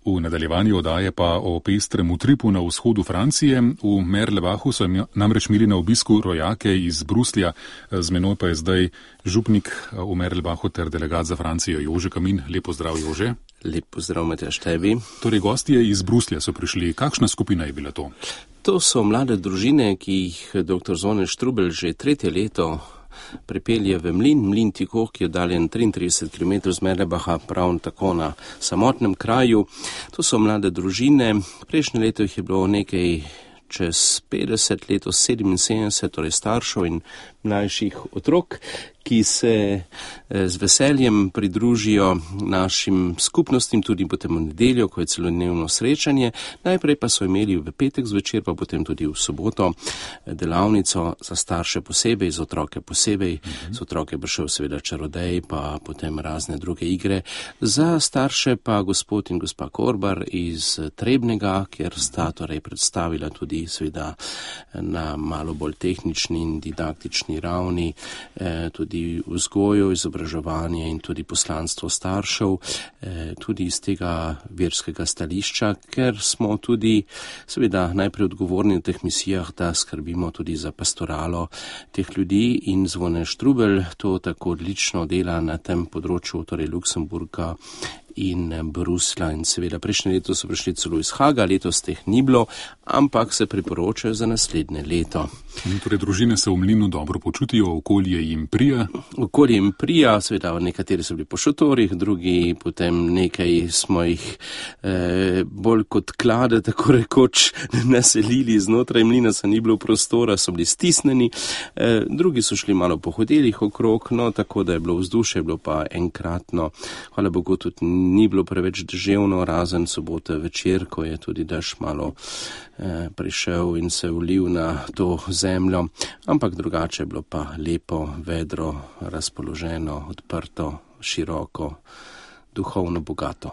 V nadaljevanju oddaje pa o pestrem utripu na vzhodu Francije. V Merlebachu so namreč imeli na obisku rojake iz Bruslja. Z menoj pa je zdaj župnik v Merlebachu ter delegat za Francijo Jože Kamin. Lep pozdrav, Jože. Lep pozdrav, Matjaž, tebi. Torej, gostje iz Bruslja so prišli. Kakšna skupina je bila to? To so mlade družine, ki jih dr. Zvone Štrubelj že tretje leto pripelje v Mlin Tikoh, ki je oddaljen 33 km z Merlebacha, prav tako na samotnem kraju. To so mlade družine. Prejšnje leto jih je bilo nekaj čez 50, letos 77, torej staršev in mlajših otrok, ki se z veseljem pridružijo našim skupnostim tudi potem v nedeljo, ko je celodnevno srečanje. Najprej pa so imeli v petek zvečer, pa potem tudi v soboto delavnico za starše posebej, za otroke posebej. Za otroke prišel seveda čarodej, pa potem razne druge igre. Za starše pa gospod in gospa Korbar iz Trebnega, kjer sta torej predstavila tudi seveda na malo bolj tehnični in didaktični ravni tudi vzgojo, izobraževanje in tudi poslanstvo staršev, tudi iz tega verskega stališča, ker smo tudi seveda najprej odgovorni v teh misijah, da skrbimo tudi za pastoralo teh ljudi, in Zvone Štrubelj to tako odlično dela na tem področju, torej Luksemburga in Bruslja, in seveda prejšnje leto so prišli celo iz Haga, letos teh ni bilo, ampak se priporočajo za naslednje leto. Torej, družine se v Mlinu dobro počutijo, okolje jim prija? Okolje jim prija, seveda nekateri so bili po šotorih, drugi potem nekaj smo jih bolj kot klade, tako rekoč, naselili znotraj Mlina, se ni bilo prostora, so bili stisneni, drugi so šli malo po hotelih okrog, no tako da je bilo vzdušje, bilo pa enkratno, hvala Bogu, tudi ni bilo preveč deževno, razen sobote večer, ko je tudi dež malo prišel in se ulil na to zemljo, ampak drugače je bilo pa lepo, vedro, razpoloženo, odprto, široko, duhovno bogato.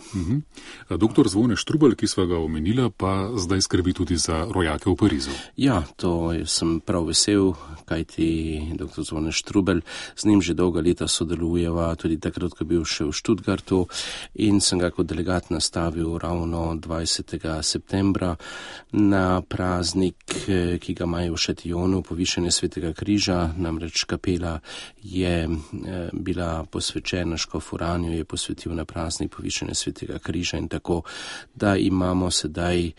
Doktor Zvone Štrubelj, ki sva ga omenila, pa zdaj skrbi tudi za rojake v Parizu. Ja, to sem prav vesel, kajti doktor Zvone Štrubelj, z njim že dolga leta sodelujeva, tudi takrat, ko je bil še v Študgartu, in sem ga kot delegat nastavil ravno 20. septembra na praznik, ki ga imajo v Šatijonu, povišanje Svetega križa, namreč kapela je bila posvečena, škof Uraniju je posvetil na praznik povišanja Svetega križa, in tako, da imamo sedaj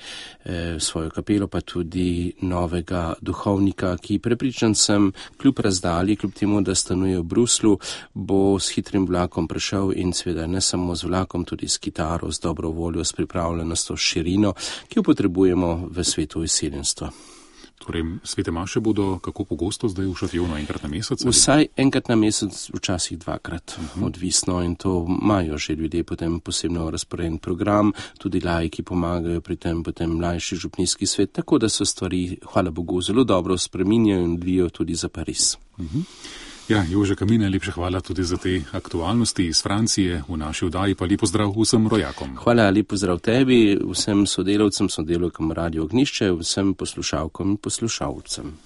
svojo kapelo, pa tudi novega duhovnika, ki prepričan sem, kljub razdalji, kljub temu, da stanuje v Bruslu, bo s hitrim vlakom prišel, in seveda ne samo z vlakom, tudi s kitaro, z dobro voljo, s pripravljenostjo, širino, ki jo potrebujemo v svetu izseljenstva. Torej, svete maše bodo kako pogosto zdaj v Šatijonu, enkrat na mesec? Vsaj enkrat na mesec, včasih dvakrat, odvisno, in to imajo že ljudje potem posebno razporejen program, tudi laiki pomagajo pri tem, potem mlajši župnijski svet, tako da so stvari, hvala Bogu, zelo dobro spreminjajo in odvijajo tudi za Pariz. Ja, Jože Kamin, lepša hvala tudi za te aktualnosti iz Francije. V naši oddaji pa lep pozdrav vsem rojakom. Hvala, lep pozdrav tebi, vsem sodelavcem, sodelavkam Radio Ognjišče, vsem poslušalkom in poslušalcem.